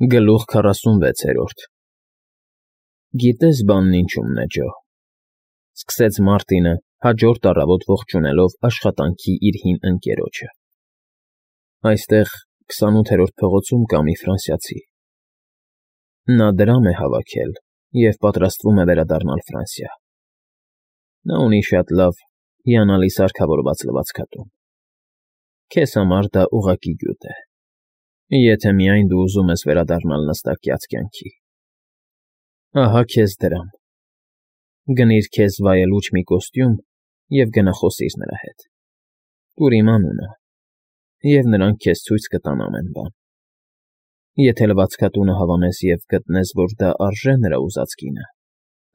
Գլուխ 46 Գիտես բանն ինչումն է, Ջո, սկսեց Մարտինը հաջորդ առավոտ ողջունելով աշխատանքի իր հին ընկերոջը։ Այստեղ 28-րդ փողոցում կա մի ֆրանսիացի։ Նա դրամ է հավաքել և պատրաստվում է վերադառնալ Ֆրանսիա։ Նա ունի շատ լավ, հիանալի սարքավորված լվացքատուն։ Քեզ համար դա ուղղակի գյուտ է, եթե միայն դու ուզում ես վերադառնալ նստակյաց կյանքի։ Ահա քեզ դրամ։ Գնիր քեզ վայելուչ մի կոստյում և գնա խոսիր նրա հետ։ Տուր իմ անունը, և նրանք քեզ ցույց կտան ամեն բան։ Եթե լվացքատունը հավանես և գտնես, որ դա արժե նրա ուզած գինը,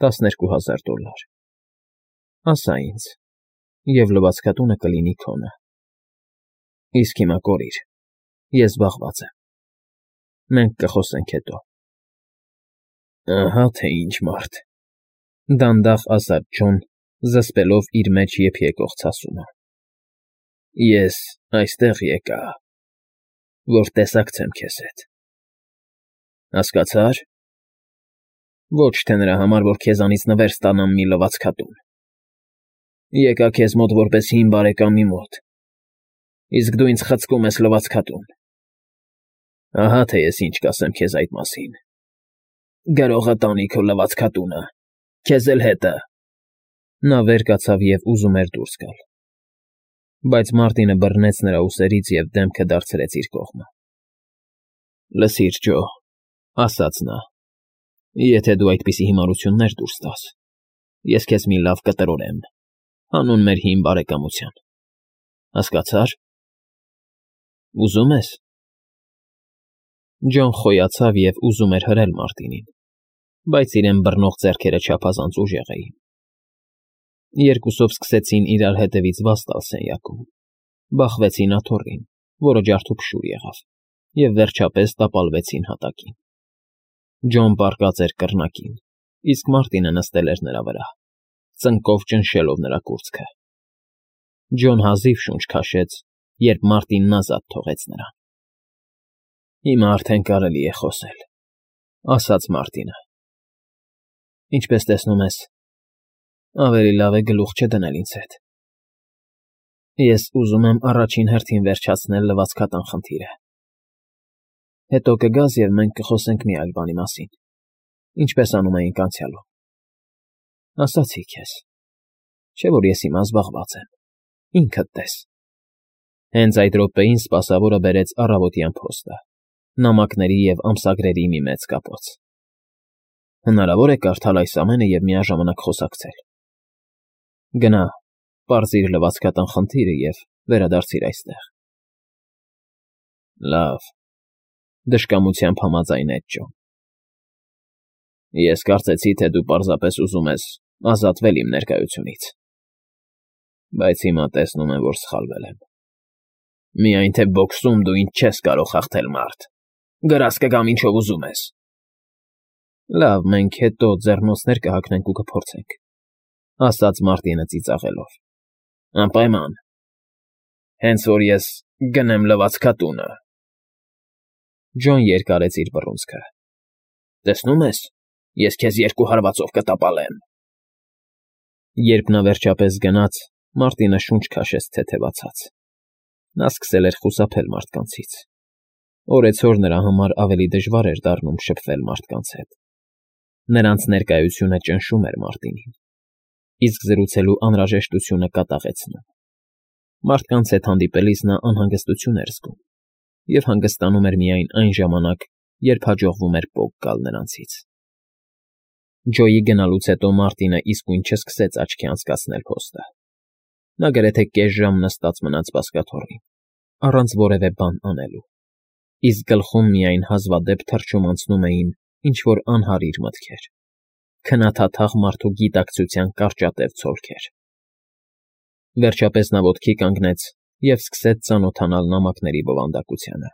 $12,000, ասա ինձ, և լվացքատունը կլինի քոնը։ Իսկ հիմա կորիր, ես զբաղված եմ։ Մենք կխոսենք հետո։ Ահա թե ինչ մարդ,֊ դանդաղ ասաց Ջոն, զսպելով իր մեջ եփ եկող ցասումը։ Ես այստեղ եկա, որ տեսակցեմ քեզ հետ։ Հասկացա՞ր։ Ոչ թե նրա համար, որ քեզանից նվեր ստանամ մի լվացքատուն։ Եկա քեզ մոտ որպես հին բարեկամի մոտ, իսկ դու ինձ խցկում ես լվացքատուն։ Ահա թե ես ինչ կասեմ քեզ այդ մասին։ Գրողը տանի քո լվացքատունը, քեզ էլ հետը։ Նա վեր կացավ և ուզում էր դուրս գալ, բայց Մարտինը բռնեց նրա ուսերից և դեմքը դարձրեց իր կողմը։ Լսիր, Ջո, ասաց նա, եթե դու այդպիսի հիմարություններ դուրս տաս, ես քեզ մի լավ կտրորեմ, հանուն մեր հին բարեկամության։ Հասկացա՞ր։ Ուզում ես։ Ջոն խոյացավ և ուզում էր հրել Մարտինին, բայց իրեն բռնող ձեռքերը չափազանց ուժեղ էին։ Երկուսով սկսեցին իրար հետևից վազ տալ սենյակում, բախվեցին աթոռին, որը ջարդուփշուր եղավ, և վերջապես տապալվեցին հատակին։ Ջոն պառկած էր կռնակին, իսկ Մարտինը նստել էր նրա վրա, ծնկով ճնշելով նրա կուրծքը։ Ջոն հազիվ շունչ քաշեց, երբ Մարտինն ազատ թողեց նրան։ Հիմա արդեն կարելի է խոսել,֊ ասաց Մարտինը։ Ինչպես տեսնում ես, ավելի լավ է գլուխ չդնել ինձ հետ։ Ես ուզում եմ առաջին հերթին վերջացնել լվացքատան խնդիրը։ Հետո կգաս, և մենք կխոսենք մի այլ բանի մասին, ինչպես անում էինք անցյալում։ Ասացի քեզ, չէ՞ որ ես հիմա զբաղված եմ, ինքդ տես։ Հենց այդ րոպեին սպասավորը բերեց առավոտյան փոստը, նամակների և ամսագրերի մի մեծ կապոց։ Հնարավոր է կարդալ այս ամենը և միաժամանակ խոսակցել։ Գնա, պարզիր լվացքատան խնդիրը և վերադարձիր այստեղ։ Լավ,֊ դժկամությամբ համաձայնեց Ջոն։ Ես կարծեցի, թե դու պարզապես ուզում ես ազատվել իմ ներկայությունից, բայց հիմա տեսնում եմ, որ սխալվել եմ։ Միայն թե բոքսում դու ինձ չես կարող հաղթել, մարդ։ Գրած կգամ ինչով ուզում ես։ Լավ, մենք հետո ձեռնոցներ կհագնենք ու կփորձենք,֊ ասաց Մարտինը ծիծաղելով։ Անպայման։ Հենց որ ես գնեմ լվացքատունը։ Ջոն երկարեց իր բռունցքը։ Տեսնում ես, ես քեզ 2 հարվածով կտապալեմ։ Երբ նա վերջապես գնաց, Մարտինը շունչ քաշեց թեթևացած։ Նա սկսել էր խուսափել մարդկանցից։ Օրեցօր նրա համար ավելի դժվար էր դառնում շփվել մարդկանց հետ։ Նրանց ներկայությունը ճնշում էր Մարտինին, իսկ զրուցելու անհրաժեշտությունը կատաղեցնում։ Մարդկանց հետ հանդիպելիս նա անհանգստություն էր զգում և հանգստանում էր միայն այն ժամանակ, երբ հաջողվում էր պոկ գալ նրանցից։ Ջոյի գնալուց հետո Մարտինը իսկույն չսկսեց աչքի անցկացնել փոստը։ Նա գրեթե կես ժամ նստած մնաց բազկաթոռին, առանց որևէ բան անելու, իսկ գլխում միայն հազվադեպ թռչում անցնում էին ինչ֊որ անհարիր մտքեր, քնաթաթաղ մարդու գիտակցության կարճատև ցոլքեր։ Վերջապես նա ոտքի կանգնեց և սկսեց ծանոթանալ նամակների բովանդակությանը։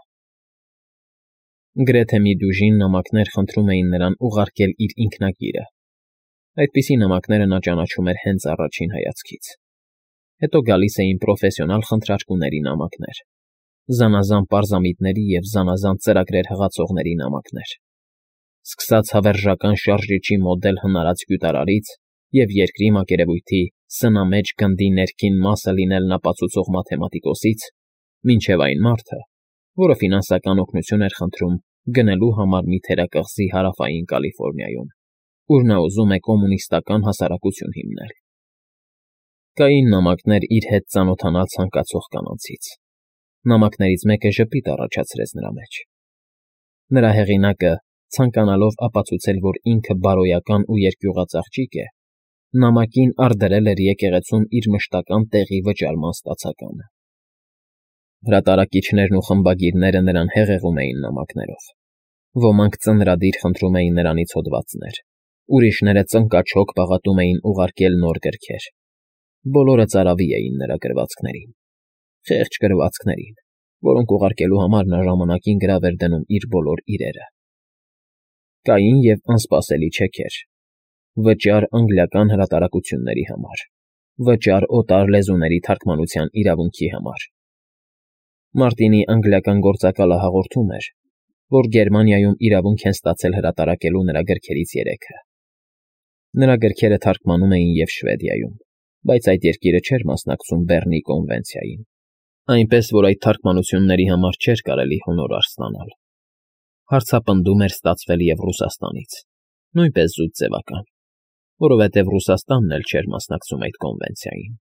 Գրեթե մի դյուժին նամակներ խնդրում էին նրան ուղարկել իր ինքնագիրը։ Այդպիսի նամակները նա ճանաչում էր հենց առաջին հայացքից։ Հետո գալիս էին պրոֆեսիոնալ խնդրարկուների նամակներ, զանազան պարզամիտների և զանազան ծրագրեր հղացողների նամակներ, սկսած հավերժական շարժիչի մոդել հնարած գյուտարարից և երկրի մակերևույթի սնամեջ գնդի ներքին մասը լինելն ապացուցող մաթեմատիկոսից, մինչև այն մարդը, որը ֆինանսական օգնություն էր խնդրում գնելու համար մի թերակղզի հարավային Կալիֆոռնիայում, ուր նա ուզում է կոմունիստական հասարակություն հիմնել։ Կային նամակներ իր հետ ծանոթանալ ցանկացող կանանցից։ Նամակներից մեկը ժպիտ առաջացրեց նրա մեջ։ Նրա հեղինակը, ցանկանալով ապացուցել, որ ինքը բարոյական ու երկյուղած աղջիկ է, նամակին արդրել էր եկեղեցում իր մշտական տեղի վճարման ստացականը։ Հրատարակիչներն ու խմբագիրները նրան հեղեղում էին նամակներով։ Ոմանք ծնրադիր խնդրում էին նրանից հոդվածներ, ուրիշները ծնկաչոք պաղատում էին ուղարկել նոր գրքեր։ Բոլորը ծարավի էին նրա գրվածքներին, խեղճ գրվածքներին, որոնք ուղարկելու համար նա ժամանակին գրավ էր դնում իր բոլոր իրերը։ Կային և անսպասելի չեքեր. վճար անգլիական հրատարակությունների համար, վճար օտար լեզուների թարգմանության իրավունքի համար։ Մարտինի անգլիական գործակալը հաղորդում էր, որ Գերմանիայում իրավունք են ստացել հրատարակելու նրա գրքերից 3-ը։ Նրա գրքերը թարգմանում էին և Շվեդիայում, բայց այդ երկիրը չէր մասնակցում Բեռնի կոնվենցիային, այնպես որ այդ թարգմանությունների համար չէր կարելի հոնորար ստանալ։ Հարցապնդում էր ստացվել և Ռուսաստանից, նույնպես զուտ ձևական, որովհետև Ռուսաստանն էլ չէր մասնակցում այդ կոնվենցիային։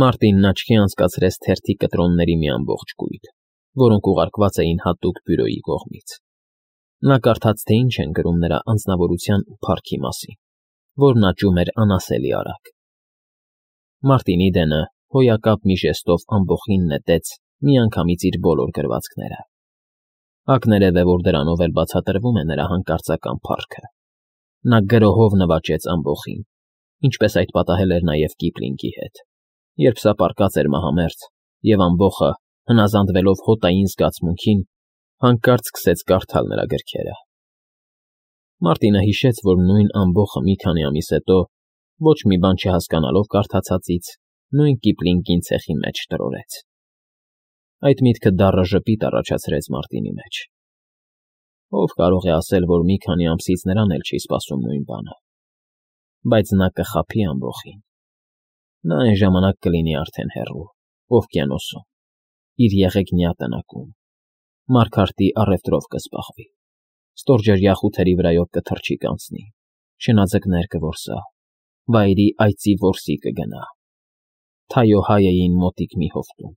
Մարտինն աչքի անցկացրեց թերթի կտրոնների մի ամբողջ կույտ, որոնք ուղարկված էին հատուկ բյուրոյի կողմից։ Նա կարդաց, թե ինչ են գրում նրա անձնավորության ու փառքի մասին, որն աճում էր անասելի արագ։ Մարտինի դենը հոյակապ մի ժեստով ամբոխին նետեց միանգամից իր բոլոր գրվածքները։ Ակներև է, որ դրանով էլ բացատրվում է նրա հանկարծական փառքը։ Նա գրոհով նվաճեց ամբոխին, ինչպես այդ պատահել էր նաև Կիպլինգի հետ, երբ սա պառկած էր մահամերձ, և ամբոխը, հնազանդվելով հոտային զգացմունքին, հանկարծ սկսեց կարդալ նրա գրքերը։ Մարտինը հիշեց, որ նույն ամբոխը մի քանի ամիս հետո, ոչ մի բան չհասկանալով կարդացածից, նույն Կիպլինգին ցեխի մեջ տրորեց։ Այդ միտքը դառը ժպիտ առաջացրեց Մարտինի մեջ։ Ով կարող է ասել, որ մի քանի ամսից նրան էլ չի սպասում նույն բանը։ Բայց նա կխաբի ամբոխին։ Նա այն ժամանակ կլինի արդեն հեռու, օվկիանոսում, իր եղեգնյա տնակում, Մարգարտի առևտրով կզբաղվի, ստորջրյա խութերի վրայով կթռչի կանցնի, շնաձկներ կորսա, վայրի այծի որսի կգնա, Թայոհայեին մոտիկ մի հովտում։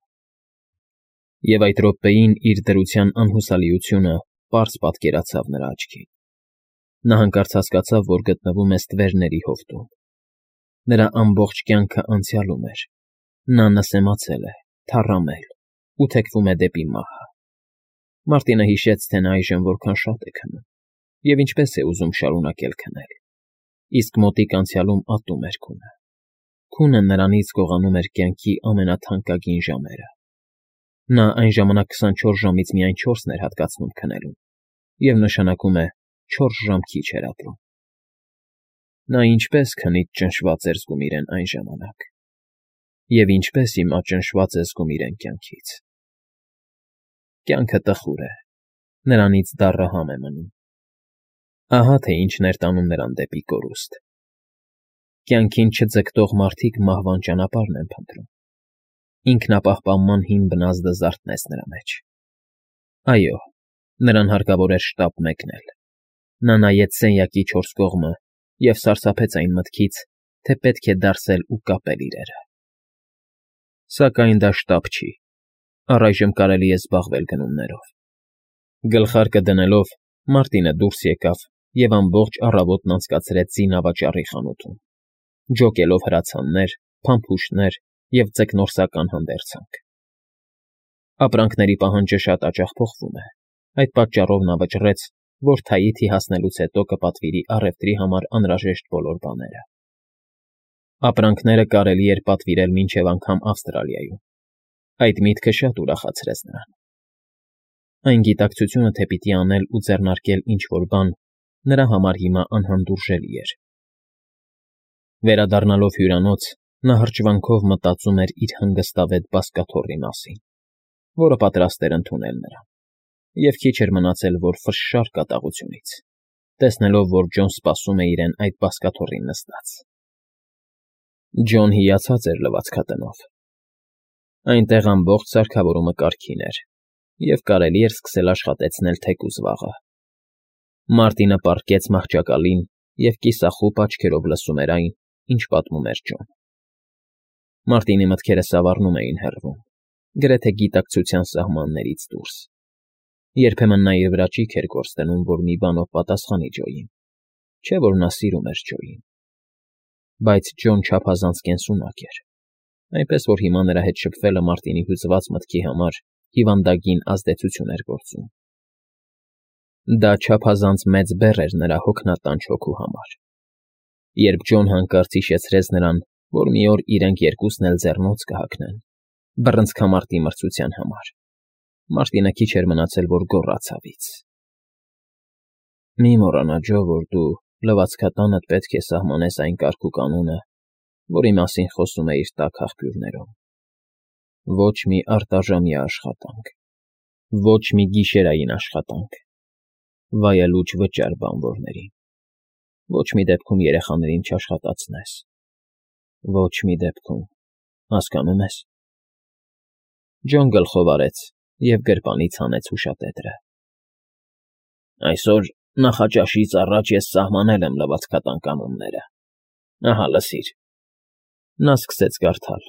Եվ այդ րոպեին իր դրության անհուսալիությունը պարզ պատկերացավ նրա աչքին։ Նա հանկարծ հասկացավ, որ գտնվում է ստվերների հովտում։ Նրա ամբողջ կյանքը անցյալում էր։ Նա նսեմացել է, թառամել ու թեքվում է դեպի մահը։ Մարտինը հիշեց, թե նա այժմ որքան շատ է քնում և ինչպես է ուզում շարունակել քնել, իսկ մոտիկ անցյալում ատում էր քունը։ Քունը նրանից գողանում էր կյանքի ամենաթանկագին ժամերը։ Նա այն ժամանակ 24 ժամից միայն 4-ն էր հատկացնում քնելուն, և նշանակում է 4 ժամ քիչ էր ապրում։ Նա ինչպես քնից ճնշված էր զգում իրեն այն ժամանակ, և ինչպես հիմա ճնշված է զգում իրեն կյանքից։ Կյանքը տխուր է, նրանից դառը համ է մնում։ Ահա թե ինչն էր տանում նրան դեպի կորուստ։ Կյանքին չձգտող մարդիկ մահվան ճանապարհն են փնտրում։ Ինքնապահպանման հին բնազդը զարթնեց նրա մեջ։ Այո, նրան հարկավոր էր շտապ մեկնել։ Նա նայեց սենյակի 4 կողմը և սարսափեց այն մտքից, թե պետք է դարսել ու կապել իրերը։ Սակայն դա շտապ չի։ Առայժմ կարելի է զբաղվել գնումներով։ Գլխարկը դնելով՝ Մարտինը դուրս եկավ և ամբողջ առավոտն անցկացրեց զինավաճառի խանութում, ջոկելով հրացաններ, փամփուշտներ և ձկնորսական հանդերձանք։ Ապրանքների պահանջը շատ հաճախ փոխվում է, այդ պատճառով նա վճռեց, որ Թայիթի հասնելուց հետո կպատվիրի առևտրի համար անհրաժեշտ բոլոր բաները։ Ապրանքները կարելի էր պատվիրել մինչև անգամ Ավստրալիայում։ Այդ միտքը շատ ուրախացրեց նրան։ Այն գիտակցությունը, թե պիտի անել ու ձեռնարկել ինչ-որ բան, նրա համար հիմա անհանդուրժելի էր։ Վերադառնալով հյուրանոց, նա հրճվանքով մտածում էր իր հանգստավետ բազկաթոռի մասին։ որը պատրաստ էր ընդունել նրան, և քիչ էր մնացել, որ ֆշշար կատաղությունից, տեսնելով, որ Ջոն սպասում է իրեն այդ բազկաթոռին նստած։ Ջոն հիացած էր լվացքատնով։ Այնտեղ ամբողջ սարքավորումը կարգին էր, և կարելի էր սկսել աշխատեցնել թեկուզ վաղը։ Մարտինը պառկեց մահճակալին և կիսախուպ աչքերով լսում էր այն, ինչ պատմում էր Ջոն։ Մարտինի մտքերը սավառնում էին հեռվում, գրեթե գիտակցության սահմաններից դուրս։ Երբեմն նա իր վրա ճիգ էր գործ դնում, որ մի բանով պատասխանի Ջոյին, չէ՞ որ նա սիրում էր Ջոյին։ Բայց Ջոն չափազանց կենսունակ էր, այնպես որ հիմա նրա հետ շփվելը Մարտինի հյուծված մտքի համար հիվանդագին ազդեցություն էր գործում։ Դա չափազանց մեծ բեռ էր նրա հոգնատանչ հոգու համար։ Երբ Ջոն հանկարծ հիշեցրեց նրան, որ մի օր իրենք երկուսն էլ ձեռնոց կհագնեն, բռնցքամարտի մրցության համար, Մարտինը քիչ էր մնացել, որ գոռաց ցավից։ Մի մոռանա, Ջո, որ դու լվացքատանդ պետք է սահմանես այն կարգ ու կանոնը, որի մասին խոսում էիր տաք աղբյուրներում։ Ոչ մի արտաժամյա աշխատանք, ոչ մի գիշերային աշխատանք, վայելուչ վճար բանվորներին, ոչ մի դեպքում երեխաներին չաշխատացնես, ոչ մի դեպքում, հասկանո՞ւմ ես։ Ջոն գլխով արեց և գրպանից հանեց հուշատետրը։ Այսօր նախաճաշից առաջ ես սահմանել եմ լվացքատան կանոնները։ Ահա լսիր։ Նա սկսեց կարդալ,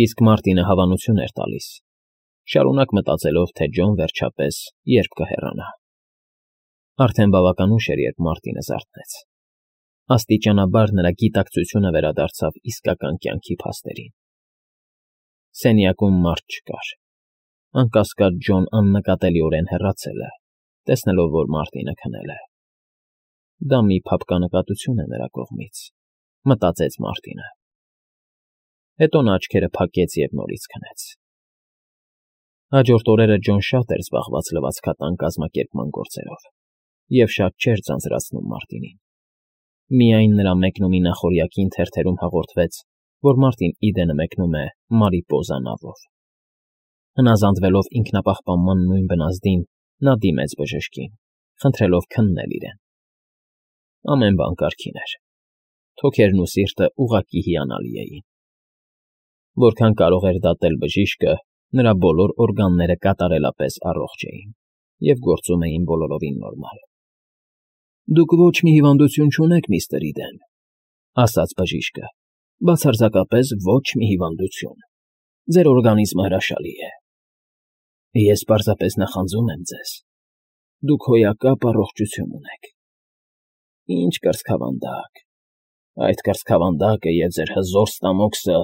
իսկ Մարտինը հավանություն էր տալիս, շարունակ մտածելով, թե Ջոն վերջապես երբ կհեռանա։ Արդեն բավական ուշ էր, երբ Մարտինը զարթնեց։ Աստիճանաբար նրա գիտակցությունը վերադարձավ իսկական կյանքի փաստերին։ Սենյակում մարդ չկար։ Անկասկած Ջոն աննկատելիորեն հեռացել է, տեսնելով, որ Մարտինը քնել է։ Դա մի փափկանկատություն է նրա կողմից, մտածեց Մարտինը։ Հետո նա աչքերը փակեց և նորից քնեց։ Հաջորդ օրերը Ջոն շատ էր զբաղված լվացքատան կազմակերպման գործերով և շատ չէր ձանձրացնում Մարտինին։ Միայն նրա մեկնումի նախօրյակին թերթերում հաղորդվեց, որ Մարտին Իդենը մեկնում է Մարիպոզա նավով։ Հնազանդվելով ինքնապահպանման նույն բնազդին, նա դիմեց բժշկին, խնդրելով քննել իրեն։ Ամեն բան կարգին էր։ Թոքերն ու սիրտը ուղղակի հիանալի էին։ Որքան կարող էր դատել բժիշկը, նրա բոլոր օրգանները կատարելապես առողջ էին և գործում էին բոլորովին նորմալ։ Դուք ոչ մի հիվանդություն չունեք, միստր Իդեն, ասաց բժիշկը, բացարձակապես ոչ մի հիվանդություն։ Ձեր օրգանիզմը հրաշալի է։ Ես պարզապես նախանձում եմ ձեզ։ Դուք հոյակապ առողջություն ունեք։ Ինչ կրծքավանդակ։ Այդ կրծքավանդակը և ձեր հզոր ստամոքսը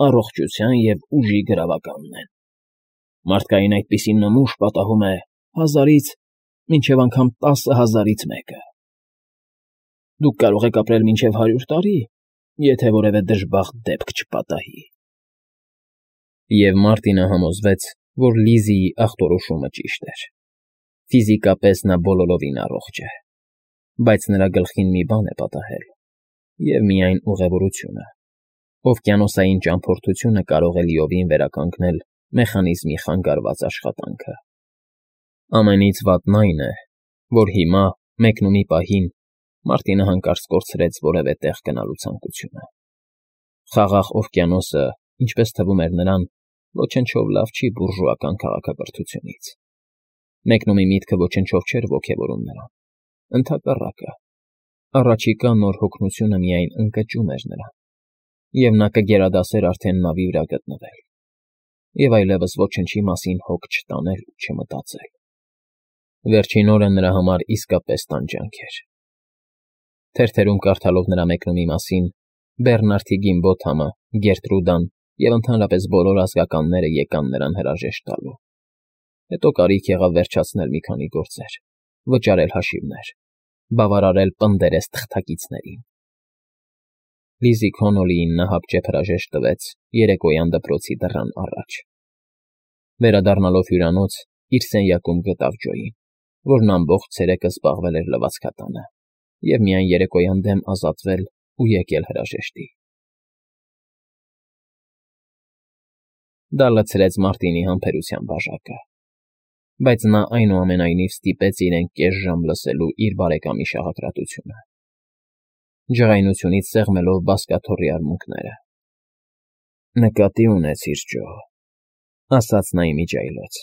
առողջության և ուժի գրավականն են։ Մարդկային այդպիսի նմուշ պատահում է 1000-ից մինչև անգամ 10,000-ից մեկը։ Դուք կարող եք ապրել մինչև 100 տարի, եթե որևէ դժբախտ դեպք չպատահի։ Եվ Մարտինը համոզվեց, որ Լիզիի ախտորոշումը ճիշտ էր։ Ֆիզիկապես նա բոլորովին առողջ է, բայց նրա գլխին մի բան է պատահել, և միայն ուղևորությունը։ Օվկիանոսային ճամփորդությունը կարող է լիովին վերականգնել մեխանիզմի խանգարված աշխատանքը։ Ամենից վատն այն է, որ հիմա, մեկնումի պահին, Մարտինը հանկարծ կորցրեց որևէ տեղ գնալու ցանկությունը։ Խաղաղ օվկիանոսը, ինչպես թվում էր նրան, ոչնչով լավ չի բուրժուական քաղաքակրթությունից։ Մեկնումի միտքը ոչնչով չէր ոգևորում նրան։ Ընդհակառակը, առաջիկա նոր հոգնությունը միայն ընկճում էր նրան, և նա կգերադասեր արդեն նավի վրա գտնվել, և այլևս ոչնչի մասին հոգ չտանել ու չմտածել։ Վերջին օրը նրա համար իսկապես տանջանք էր։ Թերթերում կարդալով նրա մեկնումի մասին, Բեռնարդի Գիմբոթամը, Գերտրուդան և ընդհանրապես բոլոր ազգականները եկան նրան հրաժեշտ տալու։ Հետո կարիք եղավ վերջացնել մի քանի գործեր, վճարել հաշիվներ, բավարարել պնդերես թղթակիցներին։ Լիզի Քոնոլիին նա հապճեպ հրաժեշտ տվեց երեկոյան դպրոցի դռան առաջ։ Վերադառնալով հյուրանոց, իր սենյակում գտավ Ջոյին, որն ամբողջ ցերեկը զբաղվել էր լվացքատանը և միայն երեկոյան դեմ ազատվել ու եկել հրաժեշտի։ Դա լցրեց Մարտինի համբերության բաժակը, բայց նա այնուամենայնիվ ստիպեց իրեն կես ժամ լսելու իր բարեկամի շաղակրատությունը, ջղայնությունից սեղմելով բազկաթոռի արմունկները։ Նկատի ունեցիր, Ջո, ասաց նա իմիջիայլոց,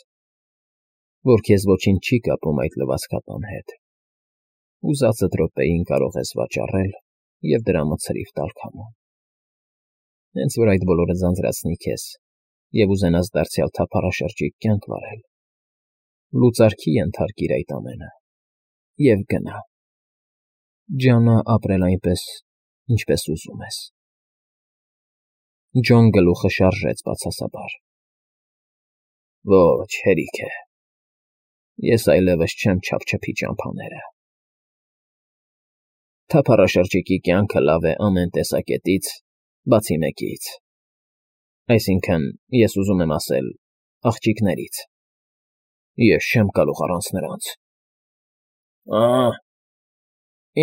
որ քեզ ոչինչ չի կապում այդ լվացքատան հետ։ Ուզածդ րոպեին կարող ես վաճառել և դրա մցրիվ տալ քամուն։ Հենց որ այդ բոլորը ձանձրացնի քեզ և ուզենաս դարձյալ թափառաշրջիկ կյանք վարել, լուծարքի ենթարկիր այդ ամենը և գնա։ Ջանա ապրել այնպես, ինչպես ուզում ես։ Ջոն գլուխը շարժեց բացասաբար։ Ոչ, հերիք է։ Ես այլևս չեմ չափչփի ճամփաները։ Թափառաշրջիկի կյանքը լավ է ամեն տեսակետից, բացի մեկից։ Այսինքն, ես ուզում եմ ասել, աղջիկներից։ Ես չեմ կարող առանց նրանց։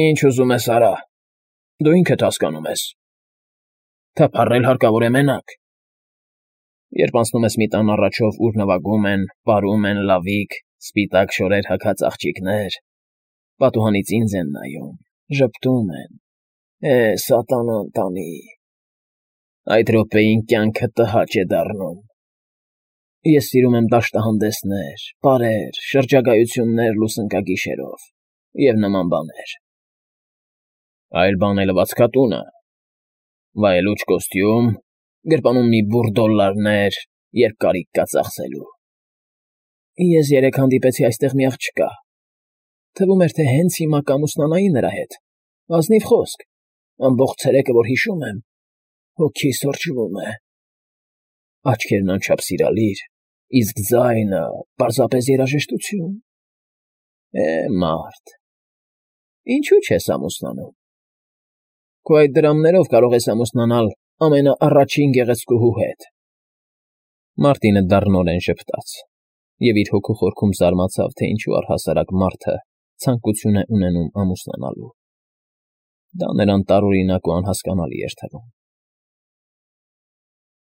Ինչ ուզում ես արա, դու ինքդ հասկանում ես։ Թափառել հարկավոր է մենակ։ Երբ անցնում ես մի տան առաջով, ուր նվագում են, պարում են լավիկ, սպիտակ շորեր հագած աղջիկներ, պատուհանից ինձ են նայում, ժպտում են. սատանան տանի։ Այդ րոպեին կյանքը տհաճ է դառնում։ Ես սիրում եմ դաշտահանդեսներ, պարեր, շրջագայություններ լուսնկագիշերով և նման բաներ։ Այլ բան է լվացքատունը, վայելուչ կոստյում, գրպանում մի բուռ դոլլարներ, երբ կարիք կա ծախսելու։ Ես երեկ հանդիպեցի այստեղ մի աղջկա։ Թվում էր, թե հենց հիմա կամուսնանայի նրա հետ։ Ազնիվ խոսք, ամբողջ ցերեկը, որ հիշում եմ, հոգիս թրջվում է։ Աչքերն անչափ սիրալիր, իսկ ձայնը պարզապես երաժշտություն։ Մարդ, ինչու չես ամուսնանում։ Քո այդ դրամներով կարող ես ամուսնանալ ամենաառաջին գեղեցկուհու հետ։ Մարտինը դառնորեն ժպտաց և իր հոգու խորքում զարմացավ, թե ինչու առհասարակ մարդը ցանկություն է ունենում ամուսնանալու։ Դա նրան տարօրինակ ու անհասկանալի էր թվում։